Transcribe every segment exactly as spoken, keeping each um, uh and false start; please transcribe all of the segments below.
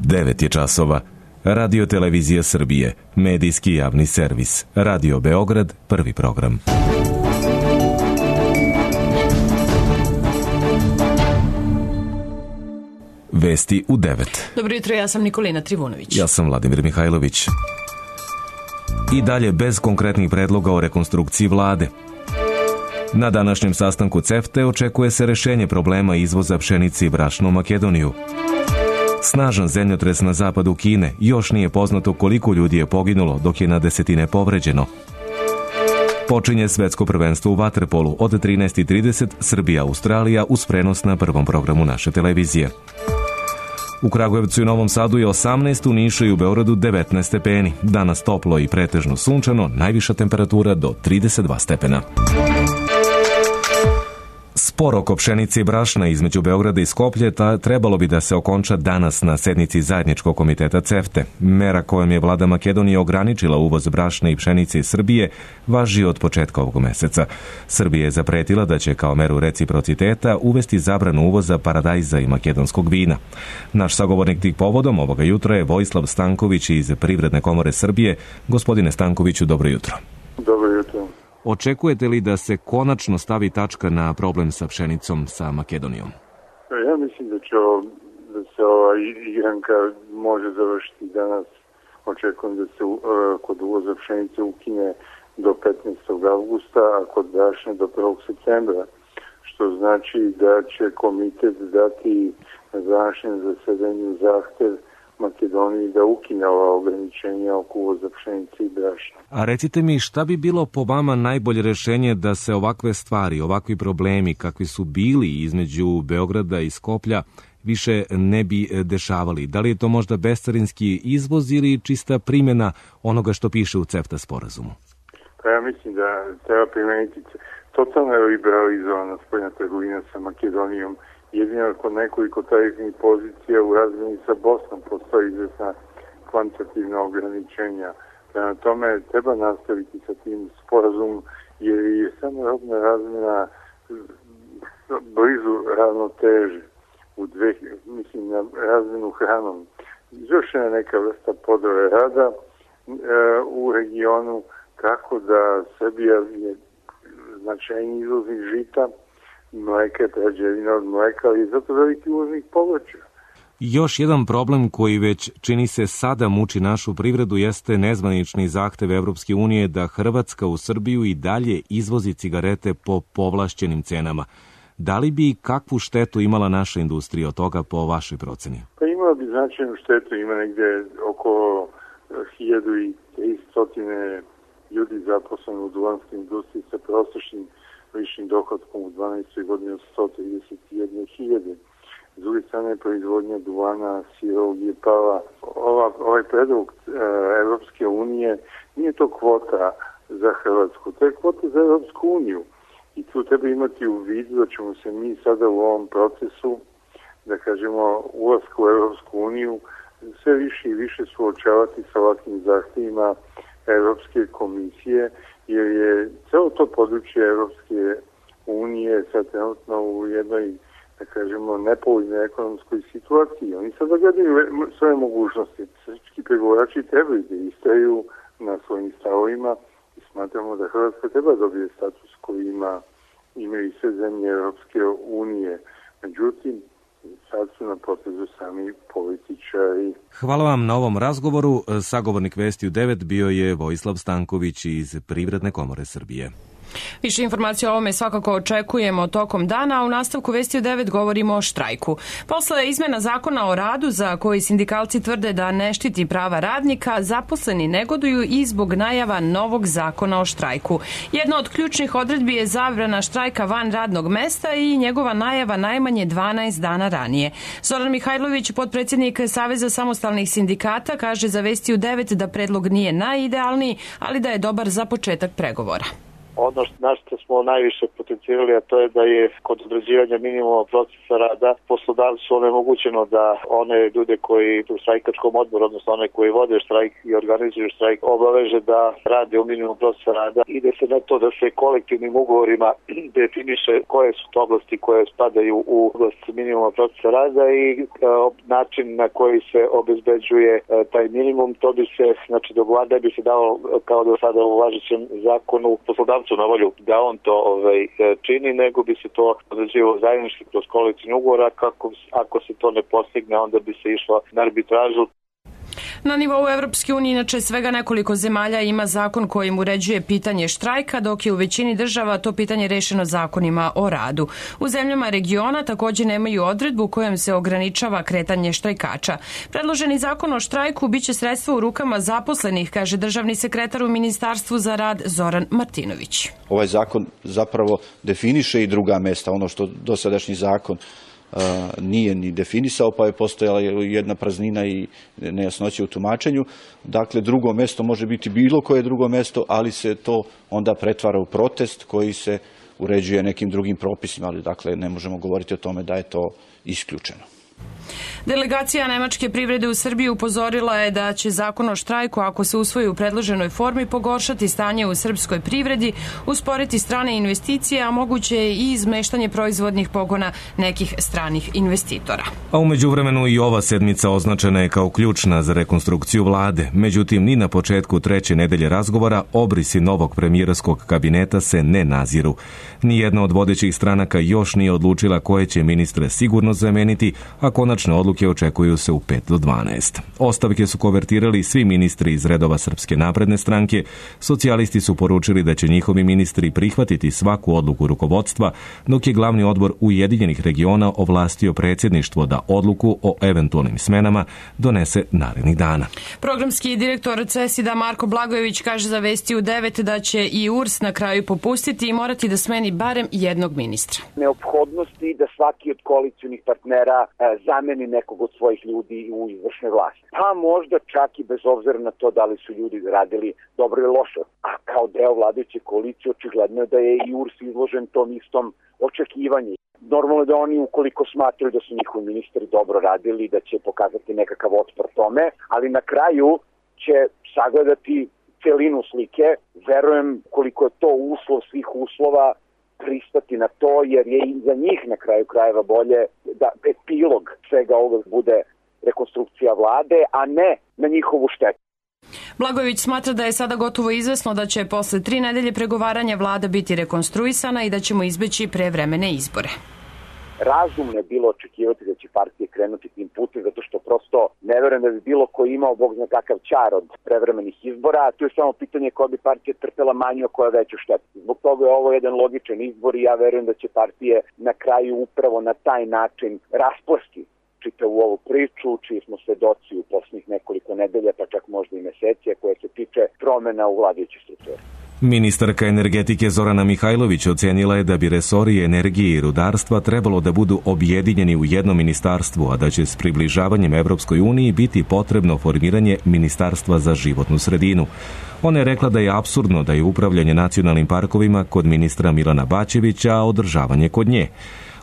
devet je časova. Radio Televizija Srbije, medijski javni servis. Radio Beograd, prvi program. Vesti u devet. Dobro jutro, ja sam Nikolina Trivunović. Ja sam Vladimir Mihajlović. I dalje bez konkretnih predloga o rekonstrukciji vlade. Na današnjem sastanku CEFTA očekuje se rešenje problema izvoza pšenice i brašna u Makedoniju. Snažan zemljotres na zapadu Kine, još nije poznato koliko ljudi je poginulo, dok je na desetine povređeno. Počinje svetsko prvenstvo u vaterpolu od trinaest i trideset, Srbija-Australija uz prenos na prvom programu naše televizije. U Kragujevcu i Novom Sadu je osamnaest, u Nišu i u Beogradu devetnaest stepeni. Danas toplo i pretežno sunčano, najviša temperatura do trideset dva stepena. Spor oko pšenice i brašna između Beograda i Skoplje ta trebalo bi da se okonča danas na sednici zajedničkog komiteta CEFTA. Mera kojom je vlada Makedonije ograničila uvoz brašna i pšenice iz Srbije važi od početka ovog meseca. Srbija je zapretila da će kao meru reciprociteta uvesti zabranu uvoza paradajza i makedonskog vina. Naš sagovornik tih povodom ovoga jutra je Vojislav Stanković iz Privredne komore Srbije. Gospodine Stankoviću, dobro jutro. Dobro jutro. Očekujete li da se konačno stavi tačka na problem sa pšenicom sa Makedonijom? Ja mislim da će ovo, da se ova igranka može završiti danas. Očekujem da se uh, kod uvoza pšenice ukine do petnaestog avgusta, a kod brašna do prvog septembra. Što znači da će komitet dati na današnjem zasedanju zahtev Makedoniji da ukine ova ograničenja oko uvoza pšenice i brašna. A recite mi, šta bi bilo po vama najbolje rešenje da se ovakve stvari, ovakvi problemi kakvi su bili između Beograda i Skoplja više ne bi dešavali? Da li je to možda bescarinski izvoz ili čista primjena onoga što piše u CEFTA sporazumu? Pa ja mislim da treba primeniti totalno liberalizovana spoljna trgovina sa Makedonijom. Jedino kod nekoliko tarifnih pozicija u razmeni sa Bosnom postoji izvesna kvantitativna ograničenja. Prema tome treba nastaviti sa tim sporazumom jer je samo robna razmena blizu ravnoteže u dve, mislim na razmenu hranom. Izvršena je neka vrsta podore rada e, u regionu kako da Srbija je značajni izvoznik žita, mleka je prerađevina od mleka, ali je zato veliki uvoznik povrća. Još jedan problem koji već čini se sada muči našu privredu jeste nezvanični zahtev Evropske unije da Hrvatska u Srbiju i dalje izvozi cigarete po povlašćenim cenama. Da li bi kakvu štetu imala naša industrija od toga po vašoj proceni? Pa imala bi značajnu štetu, ima negde oko hiljadu tristo ljudi zaposleno u duvanskoj industriji sa prosječnim ličnim dohodkom u dvanaestoj godini od sto trideset jedne hiljade. S druge strane, proizvodnja duvana, sirovog je pala. Ova, ovaj predlog e, Evropske unije nije to kvota za Hrvatsku, to je kvota za Evropsku uniju. I tu treba imati u vidu da ćemo se mi sada u ovom procesu, da kažemo, ulaska u Evropsku uniju, sve više i više suočavati sa ovakvim zahtjevima Evropske komisije, jer je celo to područje Evropske unije sad trenutno u jednoj, da kažemo, nepovoljnoj ekonomskoj situaciji. Oni sad gledaju svoje mogućnosti. Srpski pregovarači trebaju da istraju na svojim stavovima i smatramo da Hrvatska treba dobije status koji ima, imaju i sve zemlje Evropske unije. Međutim, sad su na potezu sami političari. Hvala vam na ovom razgovoru. Sagovornik Vesti u devet bio je Vojislav Stanković iz Privredne komore Srbije. Više informacija o ovome svakako očekujemo tokom dana, a u nastavku Vesti u devet govorimo o štrajku. Posle izmena zakona o radu, za koji sindikalci tvrde da ne štiti prava radnika, zaposleni negoduju i zbog najava novog zakona o štrajku. Jedna od ključnih odredbi je zabrana štrajka van radnog mesta i njegova najava najmanje dvanaest dana ranije. Zoran Mihajlović, potpredsjednik Saveza samostalnih sindikata, kaže za Vesti u devet da predlog nije najidealniji, ali da je dobar za početak pregovora. Ono na što smo najviše potencijali, a to je da je kod određivanja minimuma procesa rada poslodavcu onemogućeno da one ljude koji u štrajkačkom odboru, odnosno one koji vode štrajk i organizuju štrajk, obaveže da rade u minimum procesa rada. Ide se na to da se kolektivnim ugovorima definiše koje su to oblasti koje spadaju u oblast minimuma procesa rada i način na koji se obezbeđuje taj minimum. To bi se, znači, do vlade bi se dao kao do sada u važećem zakonu poslodavcu na volju da on to ovaj, čini, nego bi se to određivalo zajednički kroz kolektivni ugovor, a kako, ako se to ne postigne, onda bi se išlo na arbitražu. Na nivou Evropske unije inače svega nekoliko zemalja ima zakon kojim uređuje pitanje štrajka, dok je u većini država to pitanje rešeno zakonima o radu. U zemljama regiona također nemaju odredbu kojom se ograničava kretanje štrajkača. Predloženi zakon o štrajku biće sredstvo u rukama zaposlenih, kaže državni sekretar u Ministarstvu za rad Zoran Martinović. Ovaj zakon zapravo definiše i druga mesta, ono što dosadašnji zakon nije ni definisao, pa je postojala jedna praznina i nejasnoća u tumačenju. Dakle, drugo mesto može biti bilo koje drugo mesto, ali se to onda pretvara u protest koji se uređuje nekim drugim propisima, ali dakle ne možemo govoriti o tome da je to isključeno. Delegacija nemačke privrede u Srbiji upozorila je da će zakon o štrajku, ako se usvoji u predloženoj formi, pogoršati stanje u srpskoj privredi, usporiti strane investicije, a moguće je i izmeštanje proizvodnih pogona nekih stranih investitora. A u međuvremenu i ova sedmica označena je kao ključna za rekonstrukciju vlade. Međutim, ni na početku treće nedelje razgovora obrisi novog premijerskog kabineta se ne naziru. Nijedna od vodećih stranaka još nije odlučila koje će ministre sigurno zameniti, a konačne odluke očekuju se u pet do dvanaest. Ostavke su konvertirali svi ministri iz redova Srpske napredne stranke. Socijalisti su poručili da će njihovi ministri prihvatiti svaku odluku rukovodstva, dok je glavni odbor Ujedinjenih regiona ovlastio predsjedništvo da odluku o eventualnim smenama donese narednih dana. Programski direktor CESID-a Marko Blagojević kaže za Vesti u devet da će i U R S na kraju popustiti i morati da smeni barem jednog ministra. Neophodnosti da svaki od koalicionih partnera zameni nekog od svojih ljudi u izvršnoj vlasti. Pa možda čak i bez obzira na to da li su ljudi radili dobro ili loše. A kao deo vladajuće koalicije očigledno je da je i U R S izložen tom istom očekivanju. Normalno je da oni, ukoliko smatraju da su njihovi ministri dobro radili, da će pokazati nekakav otpor tome, ali na kraju će sagledati celinu slike. Verujem koliko je to uslov svih uslova pristati na to, jer je i za njih na kraju krajeva bolje da epilog svega ovoga bude rekonstrukcija vlade, a ne na njihovu štetu. Blagojević smatra da je sada gotovo izvesno da će posle tri nedelje pregovaranja vlada biti rekonstruisana i da ćemo izbeći prevremene izbore. Razumno je bilo očekivati da će partije krenuti tim putem, zato što prosto ne verujem da bi bilo ko imao bog zna kakav čar od prevremenih izbora, a tu je samo pitanje koja bi partija trpela manju, a koja veću štetu. Zbog toga je ovo jedan logičan izbor i ja verujem da će partije na kraju upravo na taj način rasplasti čitavu ovu priču, čiji smo svedoci u posljednjih nekoliko nedelja, pa čak možda i meseci, koja se tiče promena u vladajućoj strukturi. Ministarka energetike Zorana Mihajlović ocenila je da bi resori energije i rudarstva trebalo da budu objedinjeni u jedno ministarstvo, a da će s približavanjem Evropskoj uniji biti potrebno formiranje Ministarstva za životnu sredinu. Ona je rekla da je apsurdno da je upravljanje nacionalnim parkovima kod ministra Milana Bačevića, a održavanje kod nje.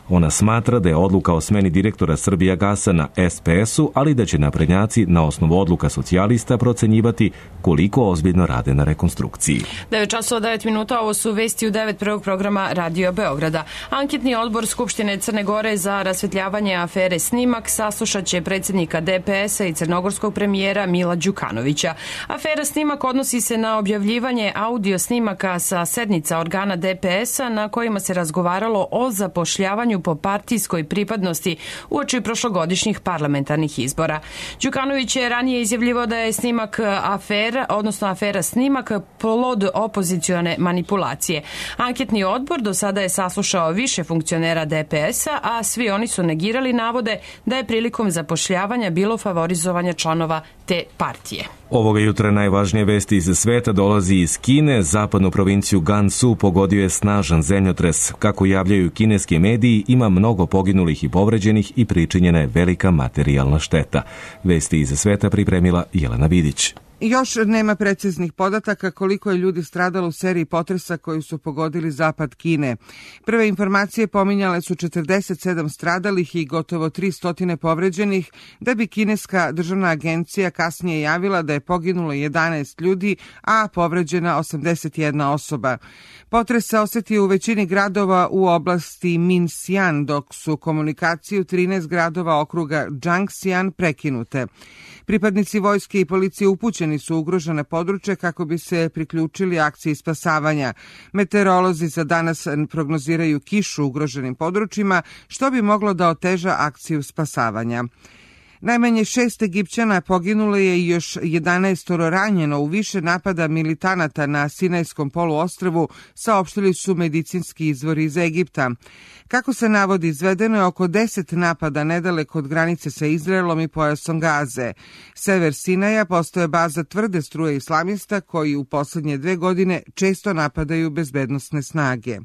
Ona smatra da je odluka o smeni direktora Srbijagasa na es pe es-u, ali da će naprednjaci na osnovu odluka socijalista procenjivati koliko ozbiljno rade na rekonstrukciji. devet časova devet minuta, ovo su Vesti u devet prvog programa Radio Beograda. Anketni odbor Skupštine Crne Gore za rasvetljavanje afere Snimak saslušat će predsjednika de pe es-a i crnogorskog premijera Mila Đukanovića. Afera Snimak odnosi se na objavljivanje audio snimaka sa sednica organa de pe es-a na kojima se razgovaralo o zapošljavanju po partijskoj pripadnosti uoči prošlogodišnjih parlamentarnih izbora. Đukanović je ranije izjavljivao da je snimak afera, odnosno afera Snimak, plod opozicione manipulacije. Anketni odbor do sada je saslušao više funkcionera de pe es-a, a svi oni su negirali navode da je prilikom zapošljavanja bilo favorizovanja članova te partije. Ovoga jutra najvažnije vesti iz sveta dolazi iz Kine. Zapadnu provinciju Gansu pogodio je snažan zemljotres. Kako javljaju kineski mediji, ima mnogo poginulih i povređenih i pričinjena je velika materijalna šteta. Vesti iz sveta pripremila Jelena Vidić. Još nema preciznih podataka koliko je ljudi stradalo u seriji potresa koji su pogodili zapad Kine. Prve informacije pominjale su četrdeset sedam stradalih i gotovo tristo povređenih, da bi kineska državna agencija kasnije javila da je poginulo jedanaest ljudi, a povređena osamdeset jedna osoba. Potres se osetio u većini gradova u oblasti Minxian, dok su komunikacije u trinaest gradova okruga Jiangxian prekinute. Pripadnici vojske i policije upućeni su u ugrožene područje kako bi se priključili akciji spasavanja. Meteorolozi za danas prognoziraju kišu u ugroženim područjima, što bi moglo da oteža akciju spasavanja. Najmanje šest Egipćana poginulo je i još jedanaest ranjeno u više napada militanata na Sinajskom poluostrvu, saopštili su medicinski izvori iz Egipta. Kako se navodi, izvedeno je oko deset napada nedaleko od granice sa Izraelom i pojasom Gaze. Sever Sinaja postaje baza tvrde struje islamista koji u poslednje dve godine često napadaju bezbednosne snage.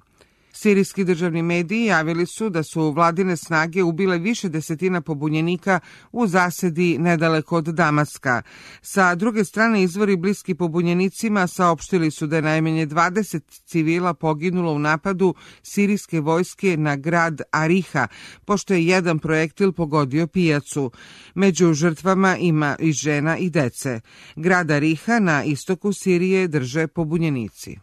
Sirijski državni mediji javili su da su vladine snage ubile više desetina pobunjenika u zasedi nedaleko od Damaska. Sa druge strane, izvori bliski pobunjenicima saopštili su da je najmanje dvadeset civila poginulo u napadu sirijske vojske na grad Ariha, pošto je jedan projektil pogodio pijacu. Među žrtvama ima i žena i dece. Grad Ariha na istoku Sirije drže pobunjenici.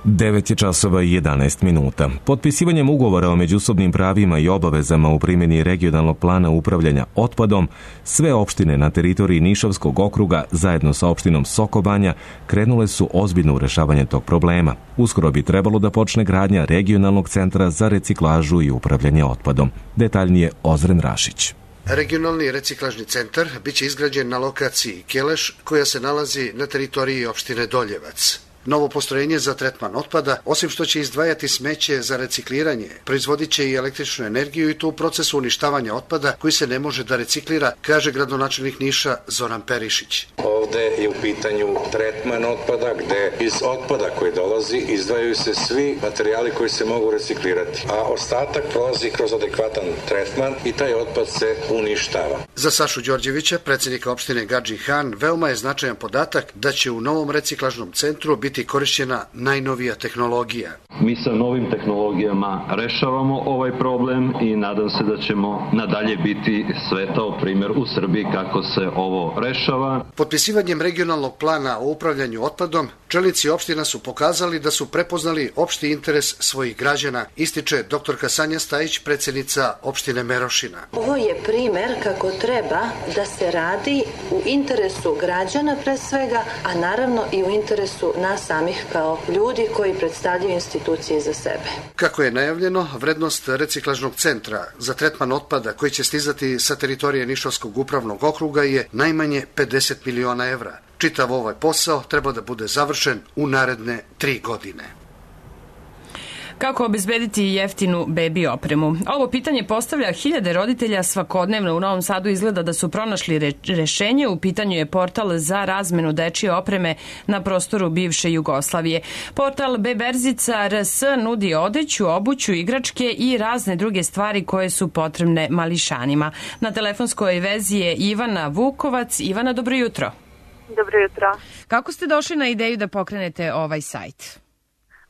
devet je časova i jedanaest minuta. Potpisivanjem ugovora o međusobnim pravima i obavezama u primjeni regionalnog plana upravljanja otpadom, sve opštine na teritoriji Nišavskog okruga zajedno sa opštinom Sokobanja krenule su ozbiljno u rešavanje tog problema. Uskoro bi trebalo da počne gradnja regionalnog centra za reciklažu i upravljanje otpadom. Detaljnije Ozren Rašić. Regionalni reciklažni centar biće izgrađen na lokaciji Keleš, koja se nalazi na teritoriji opštine Doljevac. Novo postrojenje za tretman otpada, osim što će izdvajati smeće za recikliranje, proizvodit će i električnu energiju i to u procesu uništavanja otpada koji se ne može da reciklira, kaže gradonačelnik Niša Zoran Perišić. Ovde je u pitanju tretman otpada, gde iz otpada koji dolazi izdvajaju se svi materijali koji se mogu reciklirati, a ostatak prolazi kroz adekvatan tretman i taj otpad se uništava. Za Sašu Đorđevića, predsjednika opštine Gadžin Han, veoma je značajan podatak da će u novom reciklažnom centru biti korišćena najnovija tehnologija. Mi sa novim tehnologijama rešavamo ovaj problem i nadam se da ćemo nadalje biti svetao primjer u Srbiji kako se ovo rešava. Potpisivanjem regionalnog plana o upravljanju otpadom, čelnici opština su pokazali da su prepoznali opšti interes svojih građana, ističe doktorka Sanja Stajić, predsjednica opštine Merošina. Ovo je primer kako treba da se radi u interesu građana pre svega, a naravno i u interesu nas samih kao ljudi koji predstavljaju institucije za sebe. Kako je najavljeno, vrednost reciklažnog centra za tretman otpada koji će stizati sa teritorije Nišavskog upravnog okruga je najmanje pedeset miliona evra. Čitav ovaj posao treba da bude završen u naredne tri godine. Kako obezbediti jeftinu bebi opremu? Ovo pitanje postavlja hiljade roditelja svakodnevno. U Novom Sadu izgleda da su pronašli re rešenje. U pitanju je portal za razmenu dečije opreme na prostoru bivše Jugoslavije. Portal Beberzica R S nudi odeću, obuću, igračke i razne druge stvari koje su potrebne mališanima. Na telefonskoj vezi je Ivana Vukovac. Ivana, dobro jutro. Dobro jutro. Kako ste došli na ideju da pokrenete ovaj sajt?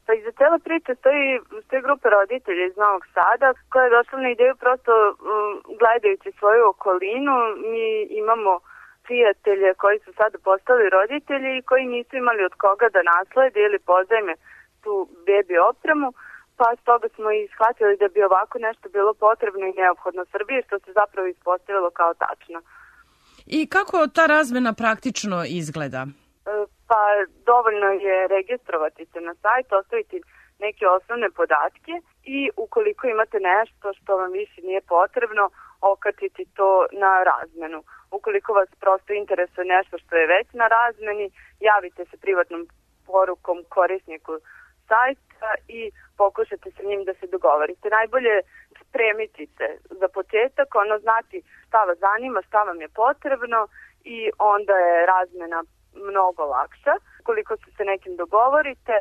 Pa iza cela priča stoji, stoji grupa roditelja iz Novog Sada koja je došla na ideju prosto um, gledajući svoju okolinu. Mi imamo prijatelje koji su sada postali roditelji i koji nisu imali od koga da naslede ili pozajme tu bebi opremu, pa stoga smo i shvatili da bi ovako nešto bilo potrebno i neophodno Srbiji, što se zapravo ispostavilo kao tačno. I kako ta razmena praktično izgleda? Pa dovoljno je registrovati se na sajt, ostaviti neke osnovne podatke i ukoliko imate nešto što vam više nije potrebno, okačiti to na razmenu. Ukoliko vas prosto interesuje nešto što je već na razmeni, javite se privatnom porukom korisniku sajta i pokušate sa njim da se dogovorite. Najbolje spremiti se za početak, ono znati šta vas zanima, šta vam je potrebno i onda je razmena mnogo lakša. Koliko se sa nekim dogovorite,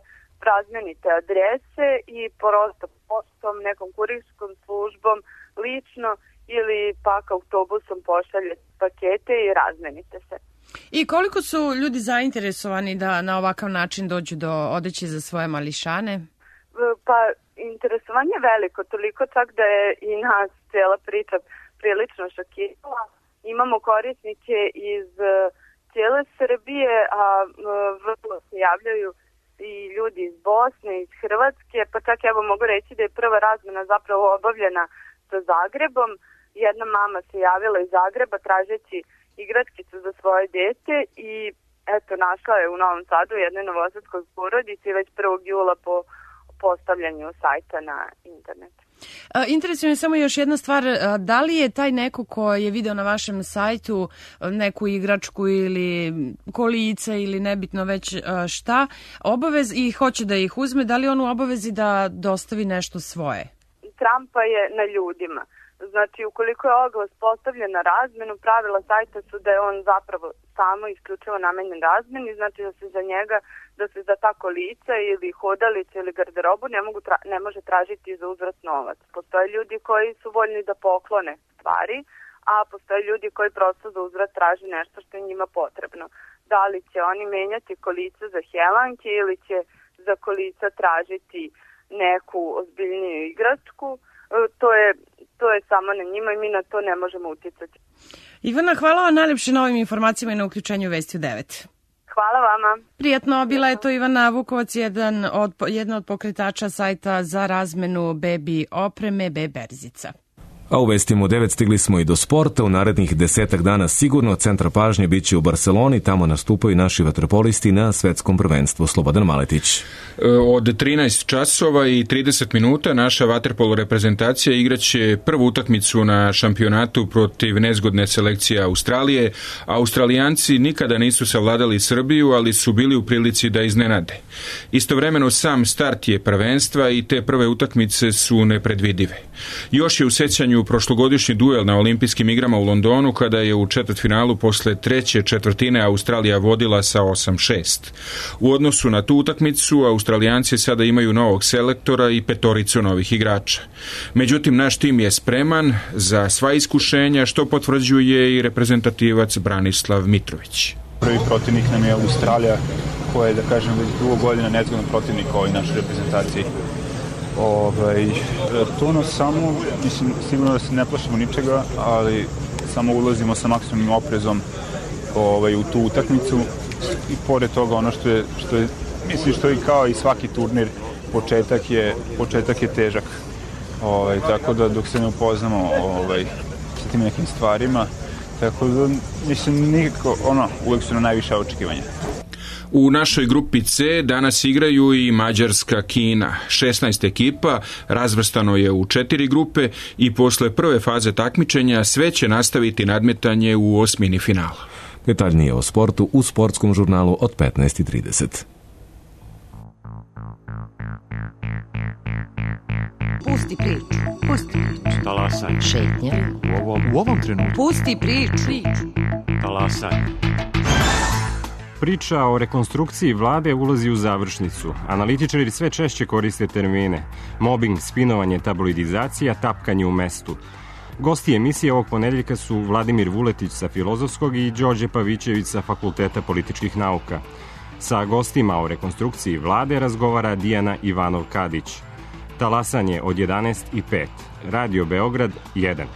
razmenite adrese i prosto postom, nekom kurirskom službom, lično ili pak autobusom pošaljete pakete i razmenite se. I koliko su ljudi zainteresovani da na ovakav način dođu do odeće za svoje mališane? Pa interesovanje je veliko, toliko čak da je i nas cijela priča prilično šokirala. Imamo korisnike iz cijele Srbije, a vrlo se javljaju i ljudi iz Bosne, iz Hrvatske, pa čak evo mogu reći da je prva razmena zapravo obavljena sa Zagrebom. Jedna mama se javila iz Zagreba tražeći igračkicu za svoje dete i eto našla je u Novom Sadu jednoj novosadskoj porodici već prvog jula po postavljanju sajta na internet. Interesuje me samo još jedna stvar, da li je taj neko ko je video na vašem sajtu neku igračku ili kolica ili nebitno već šta, obavez i hoće da ih uzme, da li on u obavezi da dostavi nešto svoje? Trampa je na ljudima. Znači, ukoliko je oglas postavljen na razmenu, pravila sajta su da je on zapravo samo isključivo namenjen razmeni, znači da se za njega, da se za ta kolica ili hodalice ili garderobu ne, mogu tra- ne može tražiti za uzvrat novac. Postoje ljudi koji su voljni da poklone stvari, a postoje ljudi koji prosto za uzvrat traži nešto što je njima potrebno. Da li će oni menjati kolica za helanke ili će za kolica tražiti neku ozbiljniju igračku, to je To je samo na njima i mi na to ne možemo uticati. Ivana, hvala vam najljepše na ovim informacijama i na uključenju Vesti u devet. Hvala vama. Prijatno, bila je to Ivana Vukovac, jedan od, jedna od pokretača sajta za razmenu bebi opreme Beberzica. A u Vestima u devet stigli smo i do sporta. U narednih desetak dana sigurno centar pažnje bit će u Barseloni. Tamo nastupaju naši vaterpolisti na svetskom prvenstvu. Slobodan Maletić. Od trinaest časova i trideset minuta naša vaterpolo reprezentacija igraće prvu utakmicu na šampionatu protiv nezgodne selekcije Australije. Australijanci nikada nisu savladali Srbiju, ali su bili u prilici da iznenade. Istovremeno sam start je prvenstva i te prve utakmice su nepredvidive. Još je u sećanju prošlogodišnji duel na olimpijskim igrama u Londonu kada je u četvrtfinalu posle treće četvrtine Australija vodila sa osam šest. U odnosu na tu utakmicu Australijanci sada imaju novog selektora i petoricu novih igrača. Međutim, naš tim je spreman za sva iskušenja, što potvrđuje i reprezentativac Branislav Mitrović. Prvi protivnik nam je Australija, koja je, da kažem, već dugo godina nezgodan protivnik ovoj našoj reprezentaciji. Ovaj, to nas samo, mislim, sigurno da se ne plašimo ničega, ali samo ulazimo sa maksimumnim oprezom ovaj, u tu utakmicu i pored toga ono što je, što je, mislim što je kao i svaki turnir, početak je, početak je težak. Ovaj, tako da dok se ne upoznamo ovaj, sa tim nekim stvarima, tako da mislim nikako, ono, uvek su na najviše očekivanja. U našoj grupi C danas igraju i Mađarska, Kina. šesnaest ekipa razvrstano je u četiri grupe i posle prve faze takmičenja sve će nastaviti nadmetanje u osmini finala. Detaljnije o sportu u sportskom žurnalu od petnaest i trideset. Pusti priču. Pusti priču. Talasaj. Šetnja. U ovom, u ovom trenutku. Pusti priču. Talasaj. Priča o rekonstrukciji vlade ulazi u završnicu. Analitičari sve češće koriste termine. Mobbing, spinovanje, tabloidizacija, tapkanje u mestu. Gosti emisije ovog ponedeljka su Vladimir Vuletić sa Filozofskog i Đorđe Pavićević sa Fakulteta političkih nauka. Sa gostima o rekonstrukciji vlade razgovara Dijana Ivanov-Kadić. Talasanje od jedanaest i pet. Radio Beograd jedan.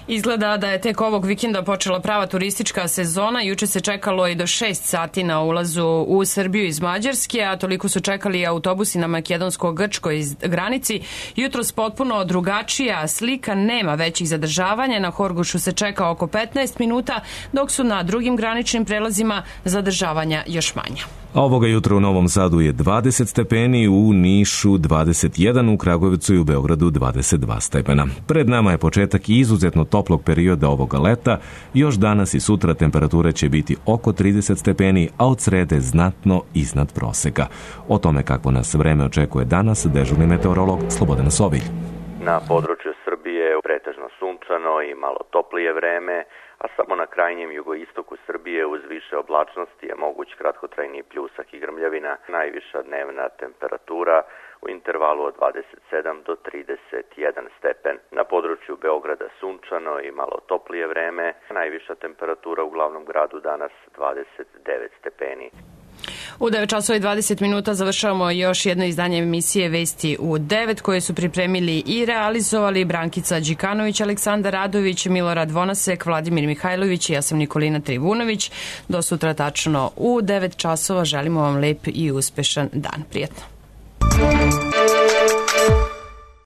Izgleda da je tek ovog vikenda počela prava turistička sezona. Juče se čekalo i do šest sati na ulazu u Srbiju iz Mađarske, a toliko su čekali autobusi na makedonsko-grčkoj granici. Jutros potpuno drugačija slika, nema većih zadržavanja. Na Horgošu se čeka oko petnaest minuta, dok su na drugim graničnim prelazima zadržavanja još manja. A ovoga jutra u Novom Sadu je dvadeset stepeni, u Nišu dvadeset jedan, u Kragujevcu i u Beogradu dvadeset dva stepena. Pred nama je početak izuzetno toplog perioda ovoga leta. Još danas i sutra temperature će biti oko trideset stepeni, a od srede znatno iznad proseka. O tome kako nas vreme očekuje danas, dežurni meteorolog Slobodan Sovilj. Na području Srbije pretežno sunčano, sunčano i malo toplije vreme, a samo na krajnjem jugoistoku Srbije uz više oblačnosti je moguć kratkotrajni pljusak i grmljavina. Najviša dnevna temperatura u intervalu od dvadeset sedam do trideset jedan stepen. Na području Beograda sunčano i malo toplije vreme. Najviša temperatura u glavnom gradu danas dvadeset devet stepeni. U devet časova i dvadeset minuta završavamo još jedno izdanje emisije Vesti u devet koje su pripremili i realizovali Brankica Đikanović, Aleksandar Radović, Milorad Vonasek, Vladimir Mihajlović i ja sam Nikolina Trivunović. Do sutra tačno u devet časova želimo vam lep i uspešan dan. Prijetno.